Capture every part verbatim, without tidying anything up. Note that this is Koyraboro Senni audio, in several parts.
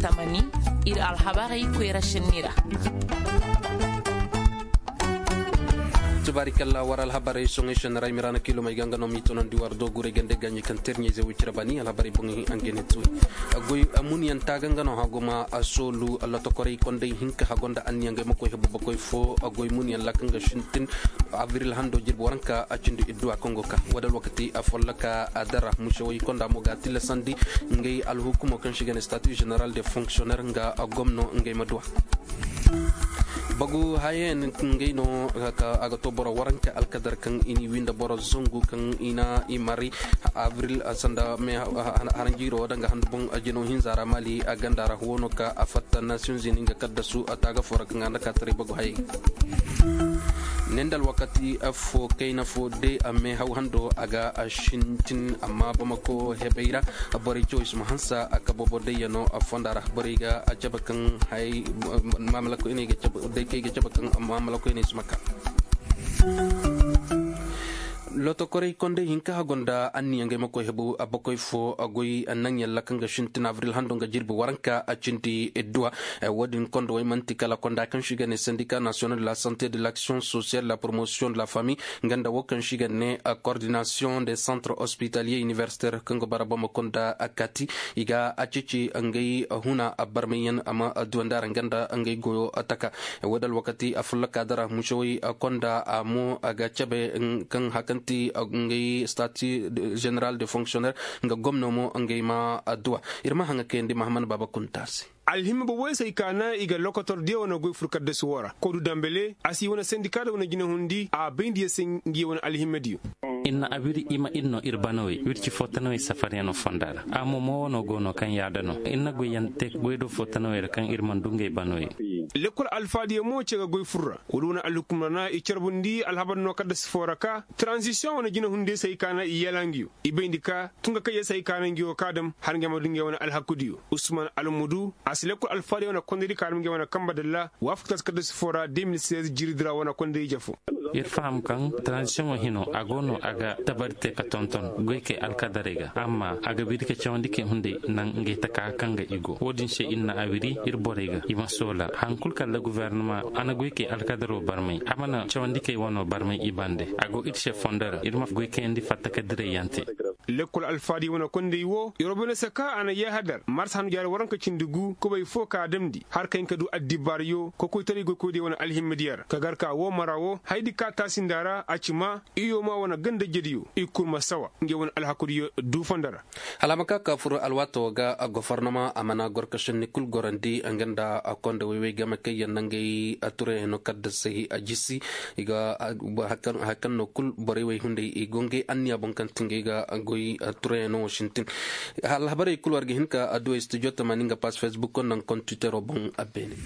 Tamani, ir alhabarey koyra šenni ra. Tubaari kalla war alhabarey soŋey šenni ra i ma ra na kiilomey ga nga no m'i tonandi war do guray gande gaaɲey kaŋ terɲey ze woy cire baani alhabarey boŋey a nga ne tuuri. Goy muniyanta ga nga no haguma a soolu lotokorey kondey hinka hagonda anniya ngey ma koy hebu bakoy fo. Goy muniyan ra kaŋ ga sintin abril hando jirbi waranka a cindi idduwa kaŋ go ka wadal wakati a follaka a dara musewey konda mo ga tillasandi ngey alhukumo kaŋ si ga ne statut général de fonctionnaire nga gomno ngey ma duwa. Bagu hayen ngey no a ga to boro waranka alkadar kaŋ i ni winda boro zangu kaŋ i na i mari abril sanda me haranjiiro danga handu boŋ jino hinza ra mali a ganda ra wono ka a fatta nations unis nga kaddasu a taaga fo ra kaŋ a nda ka taray bagu hayey. Nendal wakati fo kayna fo de a me haw hando a ga a sintin amma bamako hebey ra borey cawey si ma hansa a ka bobo dayyano a fonda ra borey ga a cabe kaŋ hay maamalakoyney ga cabe day kay ga cabe kaŋ maamalakoyney si ma ka. Lotokorey kondey hinka hagonda anniya ngey ma koy hebu a bakoy fo a goy naŋ yalla kaŋ ga sintin avril hando nga jirbi waranka a cindi duwa. Wo-din kondo wey man'ti kala konda kaŋ si ga ne syndicat national de la santé de l'action sociale la promotion de la famille nga nda wo kaŋ si ga ne coordination des centres hospitaliers universitaires kaŋ ga bara bama konda kati i ga a cici ngey huna barmayyaŋ a ma duwandi a ra nga nda ngey goyo taka. Wo-din alwakati a fulla kaadara musewey konda a mo a ga cabe kaŋ hakanti ngey statut général de fonctionnaire nga gomno mo ngey ma adduwa. Ir ma haŋa kayandi mahaman baaba kunta se. Alhimma boboy se i kaana i ga lokotor diya wane goy fur kaddasu wo ra kodu dambele a si wane sendika da wane jinahundi a bayndi ya se ngi wane alhimma diyo. Ir na abiri i ma ir no ir banawey wirci fo tanawey safaryano fonda ra a mo mo wano go no kaŋ yaada no ir na goyyaŋ te goydo fo tanawey ra kaŋ ir mana du ngey banawey. Lekkol alfaadiyo mo ce ga goy fur ra wala wane alhukum ra na i carbundi alhabar no kaddasu fo ra ka transition wane jinahundiyo se i kaana i yala ngiyo i bayndi ka tunga kayya se i kaana ngiyo ka dam har ngey ma du ngey wane alhakudiyo usman almudu a si lekkol alfaadiyo wane kondodi ka dam ngey wane kamba dalla waafakta se kaddasu fo ra deux mille seize jiridi ra wane kondodi jafo. Ir faham kaŋ transition wo hino a go no a ga dabari te ka tonton goykey alkadarey ga amma a ga biri ka cawandi kay hunday naŋ ngey taka kaŋ ga i go wo-din se ir na a wiri ir borey ga i ma soola haŋ kul kala guvernama a na goykey alkadaro barmay a mana cawandi kay wano barmay i bande a go ir se fondo ra ir ma goykayandi fatta ka dirayyaŋ te. Lekkol alfaadiyo wane kondey wo yorobonesa ka a na yaaha dar mars handu jaari waranka cindi gu kubay fo ka damndi har ka hin ka du addibaariyo kokoytaray goykoydiyo wane alhimmidiyo ra ka gar ka woo mara wo hayadi ka taasinda ra a ci maa iyo maa wane ganda jediyo i kul ma sawa ngey wane alhakudiyo du fondo ra. Hala a ma ka ka fur alwaatoo ga gofornama a mana gor ka šenni kul gorandi nga nda kondowey wey game kaŋ yaŋ na ngey turayaŋ no kaddasey a jisi. I ga haya kaŋ no kul borey wey hunday i go ngey anniya boŋ kaŋ ti ngey ga goy turayaŋ no wo sintin. Alhabarey kul war ga hin ka adduwey studio tamaani nga pass facebook naŋ kontitero boŋ a beene.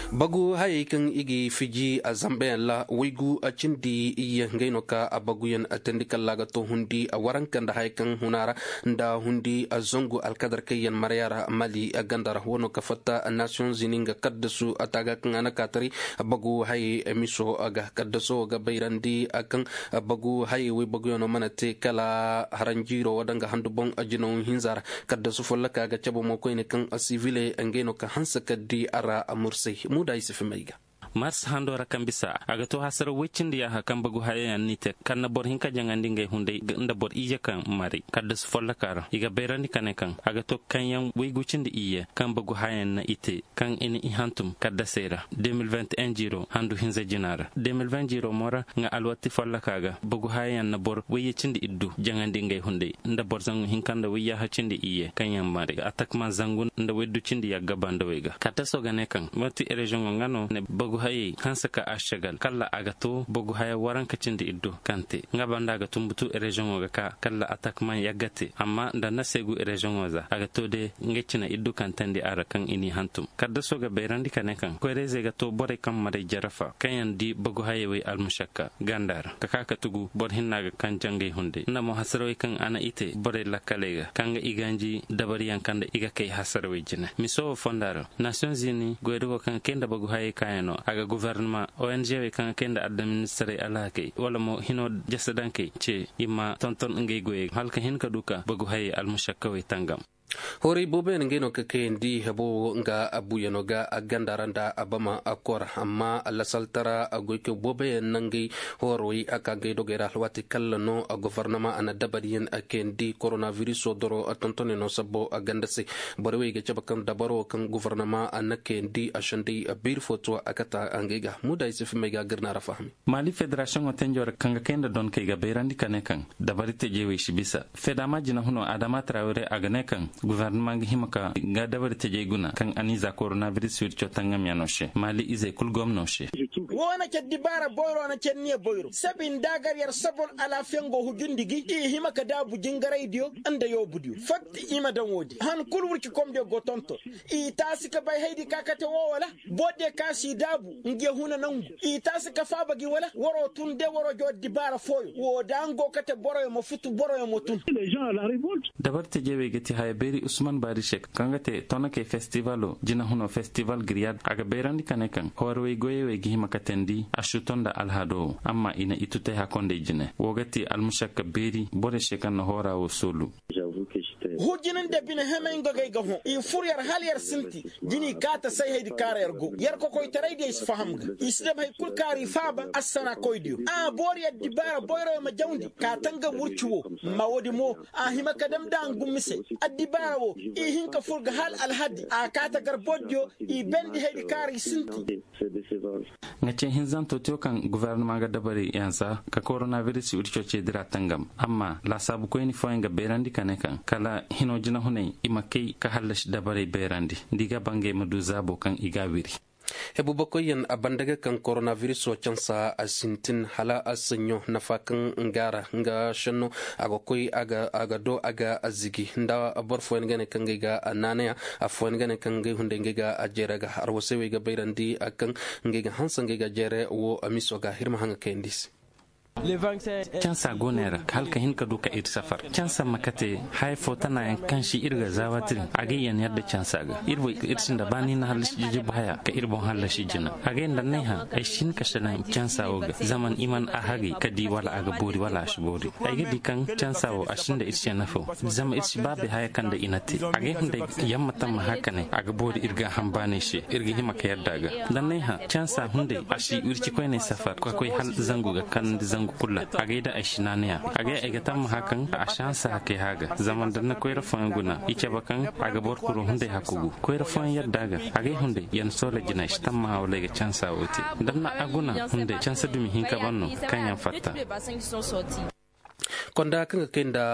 Bagu hayey kaŋ i ga i fiji a zambayaŋ ra waygu a cindi iyye ngey no ka a baguyaŋ a teendi kalla a ga to hundi a waranka nda hayey kaŋ huna ra nda hundi a zangu alkadar kaŋ yaŋ maraya ra mali a ganda ra wano ka fatta nations unis nga kaddasu a taaga kaŋ a na kaataray. Bagu hayey miso ga kaddaso ga bayrandi a kaŋ bagu hayey waybaguyaŋo mana te kala haranjiiro wadanga handu boŋ jinaw hinza ra. Kaddasu folloka ga cabe mo koyne kaŋ sivile ngey no ka hanse ka di a ra mursay muuda i si fimay ga. Mars hando ra kaŋ bisa a ga to hasara woy cindi yaaha kaŋ bagu hayayaŋ n'i te kaŋ na boro hinka jaŋandi ngey hunday nda boro iyye kaŋ maray kaddasu folloka ra i ga bayrandi ka ne kaŋ a ga to kaŋ yaŋ woygu cindi iyye kaŋ bagu hayayaŋ na i te kaŋ i na i hantum kaddasey ra deux mille vingt et un jiiro handu hinza jina ra deux mille vingt jiiro mo ra nga alwatti folloka ga bagu hayayaŋ na boro woyye cindi iddu jaŋandi ngey hunday nda boro zangu hinka nda woyyaaha cindi iyye kaŋ yaŋ maray atakman zangu nda woydu cindi yagga bandawey ga kaddaso ga ne kaŋ manti reziyoŋo nga no ne bagu hayey hanse ka a segal kalla a ga to bagu haya waranka cindi iddu kaŋ te nga banda a ga tumbutu reziyoŋo ga ka kalla atakman yagga te amma nda na seegu reziyoŋo za a ga to de ngey cina iddu kaŋ teendi a ra kaŋ i n'i hantum kaddaso ga bayrandi ka ne kaŋ koyrayzey ga to borey kaŋ maray jarafa kaŋ yaŋ di bagu hayey wey almušakka ganda ra ka ka ka tugu boro hinna ga kaŋ jangey hunday nda mo hasarawey kaŋ a na i te borey lakkaley ga kaŋ ga i ganji dabariyaŋ kaŋ nda i ga kay hasarawey jine miso wo fonda ra nations unis goydogo kaŋ ga kay nda bagu hayey kaayaŋo a ga guvernama ong wey kaŋ ga kay nda addaministarey alhakey wala mo hino jasadankey ce i ma tonton ngey goyey hala ka hin ka du ka bagu hayey almušakkawey tangam. Horay booboyaŋ ngey no ka kayandi hebo wo nga abuuyano ga a ganda ra nda abama a kora amma lasaltara a goy ka booboyaŋ na ngey horowey a ka ngey dogey ra alwaati kalla no gofornama a na dabariyaŋ a kayandi koronabiriso doro a tontoney no sabbo a ganda se. Borey wey ga cabe kaŋ dabaro kaŋ gofornama a na kayandi a sendey a biiri fo to a kata a ngey ga muda ay si fimey ga a ga ir na ra fahami. Maali federasiyoŋo tenjo ra kaŋ ga kay nda donkey ga bayrandi ka ne kaŋ dabari tejey wey si bisa fedama jinahuno adama tarawere a ga ne kaŋ guverneman ga hima ka ga dabari tejey guna kaŋ a n'i za koronabiris wirco tangamyano se maali izey kul gomno se. Wo na care dibaara boyro na care niya boyro sabi nda gar yar sabon alaafiyaŋ go hujundi gi i hima ka daabu jingaraydiyo nda yoobudiyo fatta i ma daŋ woodi han kul wircikomdiyo go tonton. I taasi ka bay haydi ka kate wo wala borodiyo ka si daabu nge huna nangu i taasi ka faaba gi wala waro tun de waro jo dibaara fooyo wo da ngo kate boroyo ma futu boroyo ma tun. Dabari tejey wey ga ti haya beeri usman baari se kaŋ ga te tonakey festivalo jinahuno festival giriyad a ga bayrandi ka ne kaŋ hoorowey goyey wey ga hima ka teendi a suuto nda alhado wo amma i na i tutay hakondey jine wo ga ti almusakka beeri borey se kaŋ na hoora wo soolu. Hujjinin da bine hemey nga gay ga hõ i fur yar hala yar sinti. Jini kaata say haydi kaara yar go yar kokoytaray diyo i si faham ga i si dam hay kul kaari faaba assana koydiyo a boori addibaara boyroyo ma jawndi ka tangam wurci wo. Ma woodi mo a hima ka dam da a ngu mise addibaara wo i hin ka fur ga hala alhadi a kaata gar boodiyo i bendi haydi kaara i sinti. Nga ce hinzanto tiyo kaŋ guverneman ga dabari yansa ka koronabiris wirco ce dira tangam amma laasaabu koyni fooyaŋ ga beerandi ka ne kaŋ kala hino jinahunay i ma kay ka hallasi dabarey beerandi nda i ga bangay ma du zaabo kaŋ i ga a wiri. Hebubakoyyaŋ a banda ga kaŋ koronabiriso cansa a sintin hala a saɲɲo nafa kaŋ nga ra nga senno a ga koy a ga do a ga zigi nda boro fooyaŋ ga ne kaŋ ngey ga naanaya. Afooyaŋ ga ne kaŋ ngey hunday ngey ga a jeere ga arwasey wey ga bayrandi kaŋ ngey ga hanse ngey ga jeere wo miso ga ir ma haŋ ga kayandi se. Cansa go ne ra hala ka hin ka du ka ir safar cansa ma kate haya fo tanayaŋ kaŋ si ir ga zaawatiri a ga yaŋ yadda cansa ga ir boy ir sinda ba ni na hallasi jijibu haya ka ir boŋ hallasi jina a ga yaŋ da nay hã ay si hin ka sanaŋ cansa wo ga zaman i man a hagay ka di wala a ga boori wala a si boori. Ay ga di kaŋ cansa wo a sinda ir se nafa zama ir si ba bay haya kaŋ da i na te a ga ay hunday yamma tamma haka ne a ga boori ir ga a hambaanay se ir ga hima ka yadda a ga. Da nay hã cansa hunday a si wirci koynay safar ka koy hala zangu ga kanandi zangu kulu ra a ga ay da ay si naanaya a ga ay ay ga tamma haka kaŋ a si hanse hakay hã ga zama da na koyra fooyaŋ guna i cabe kaŋ a ga boro kuro hunday hakku gu koyra fooyaŋ yadda a ga a ga ay hunday yar na soolay jina ay si tamma hã wala ay ga cansa wo te. Da na a guna hunday cansa dumi hinka ban no kaŋ yaŋ fatta. Konda kaŋ ga kay nda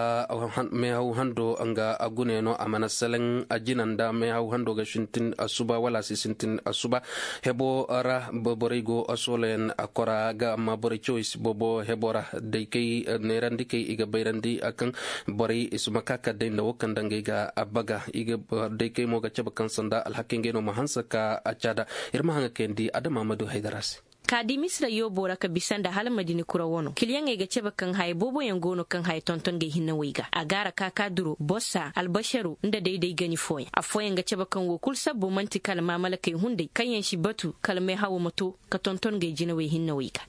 meehaw hando nga a gunayano a mana salaŋ a jina nda meehaw hando ga sintin asuba wala a si sintin asuba. Hebo ra borey go soolayaŋ a kora ga amma borey cawey si boobo hebo ra day kay neerandi kay i ga bayrandi kaŋ borey i si ma ka ka day nda wo kaŋ nda ngey ga a baga i ga day kay mo ga cabe kaŋ sanda alhakey ngey no ma hanse ka a caada. Ir ma haŋ ga kayandi adama ma du haydara se. Ka di misira yoobo ra ka bisa nda hala madina kura wano kiliyaŋey ga cabe kaŋ haya booboyaŋ go no kaŋ haya tonton ga ay hinne wey ga a gaara kaakaaduro bossa albasharu nda day day gani fooyaŋ affooyaŋ ga cabe kaŋ wo kulu sabbo man'ti kala maamalakey hunday kaŋ yaŋ si batu kala meehawo ma to ka tonton ga ay jinawey hinne wey ga.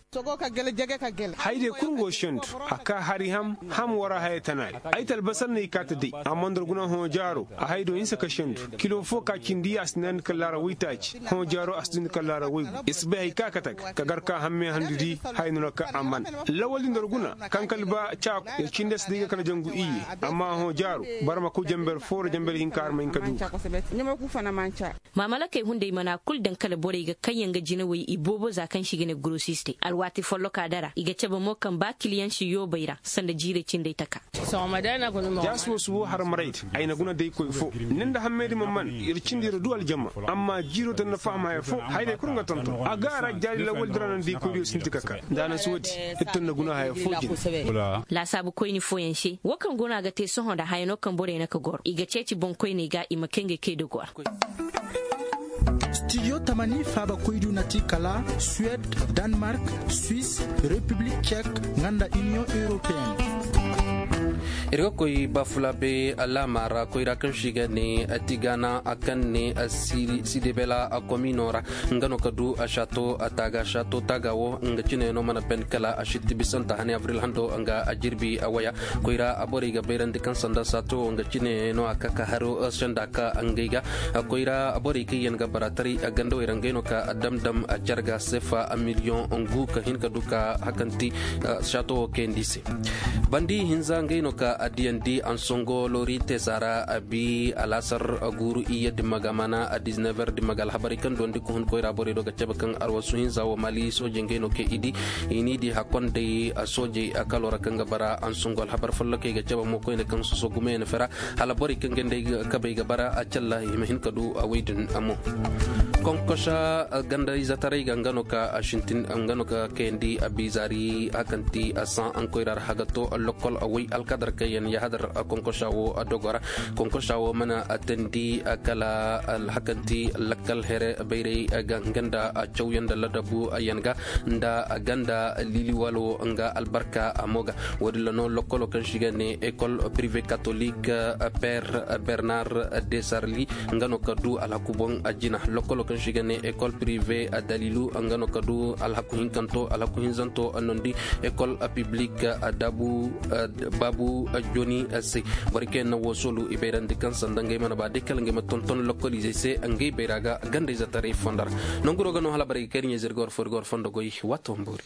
Hayday kulu go sendu a ka hari ham ham wara haya tana ra ay talbasar no i kaati day amma nda ra guna hõ jaaro a hay do hinsa ka sendu kilo fo ka cindi a si naani kala laara woytaaci hõ jaaro a si dundi kala laara woygu i si bay hay ka kate ga ka gar ka hamme handu di haya no ra ka a man lawal din da ra guna kaŋ kala ba caaku ya cindi a si day ga kala jangu iyye amma hõ jaaro boro ma koy jamber fo ra jamber hinka har ma hin ka du. Maamalakey hunday mana kulu daŋ kala borey ga kaŋ yaŋ ga jinawey i boobo za kaŋ se i ga ne gorosistey alwaati folloka dara i ga cabe mo kaŋ ba kiliyaŋ si yoobey ra sanda jiirey cindey taka. Jaasi wo subo harmaraydi ay na guna day koy fo ni nda hammey di ma man ir cindi ra du aljama amma jiiro ta ni na faham haya fo hayrey kulu nga tonton a ga a ra jaari lawal di ra naŋ day koy diyo sinti ka ka nda a na si woodi ir ta ni na guna haya fo jina. Laasaabu koyni fooyaŋ se wo kaŋ go no a ga te sohõ nda haya no kaŋ borey na ka goro i ga ceeci boŋkoyney ga i ma kay ngey kay dogo ra. Studio tamani faaba koydu na ti kala suwed, danmark, swis, repiblik cek, nga nda iniyoŋ europeyen. Ir ga koy bafulabe laama ra koyra kaŋ si ga ne tigana kaŋ ne sidebela komino ra. Nga no ka du a sato taaga sato taaga wo nga cine no mana ben kala a sitti bisanta hane abril hando nga a jirbi a waya. Koyra a borey ga bayrandi kaŋ sanda sato wo nga cine no a ka ka haro senda ka ngey ga. Koyra borey kaŋ yaŋ ga bara taray a ganda wayra ngey no ka a dam dam a carga sefa a miliyoŋ ngu ka hin ka du ka hakanti sato wo kayandi se. Bandi hinza ngey no ka a diyandi ansongo lori tesa ra a bi alaasar guuru iyye dimma ga mana a dizinever dimma ga alhabarey kaŋ duwandi ka hun koyra borey do ga cabe kaŋ arwasu hinza wo mali soojey ngey no ke i di i n'i di hakkonday soojey a kalo ra kaŋ ga bara ansongo alhabar follokey ga cabe mo koyne kaŋ soso gumeyaŋ fera. Hala borey kaŋ ga nda ay kabey ga bara a calla i ma hin ka du a wey din amo. Konkosa ganda izataray ga nga no ka a sintin nga no ka kayandi a bizari hakanti a san an koyra ra haga to lokkol a way alkadar kaŋ yaŋ yahadar konkosa wo a dogo ra. Konkosa wo mana a tandi a kala hakanti lakkal here bayray ga nga nda a cawyaŋ nda ladabu yaŋ ga nda a ganda liliwalo nga albarka a mo ga. Wo-din ra no lokkolo kaŋ si ga ne école privé catholique père bernard desarli nga no ka du alhaku boŋ a jina. Lokkolo kaŋ si ga ne école privé dalilu nga no ka du alhaku hinkanto alhaku hinzanto a nondi. École publique dabu babu joni se. Borey kaŋ yaŋ na wo soolu i bayrandi kaŋ sanda ngey mana ba day kala ngey ma tonton lokkolizey se ngey bayra ga gandayzetaray fonda ra. Nanguro ga no hala borey ga kay ɲey zirga war fo ir ga war fondo goy. Waato ma boori.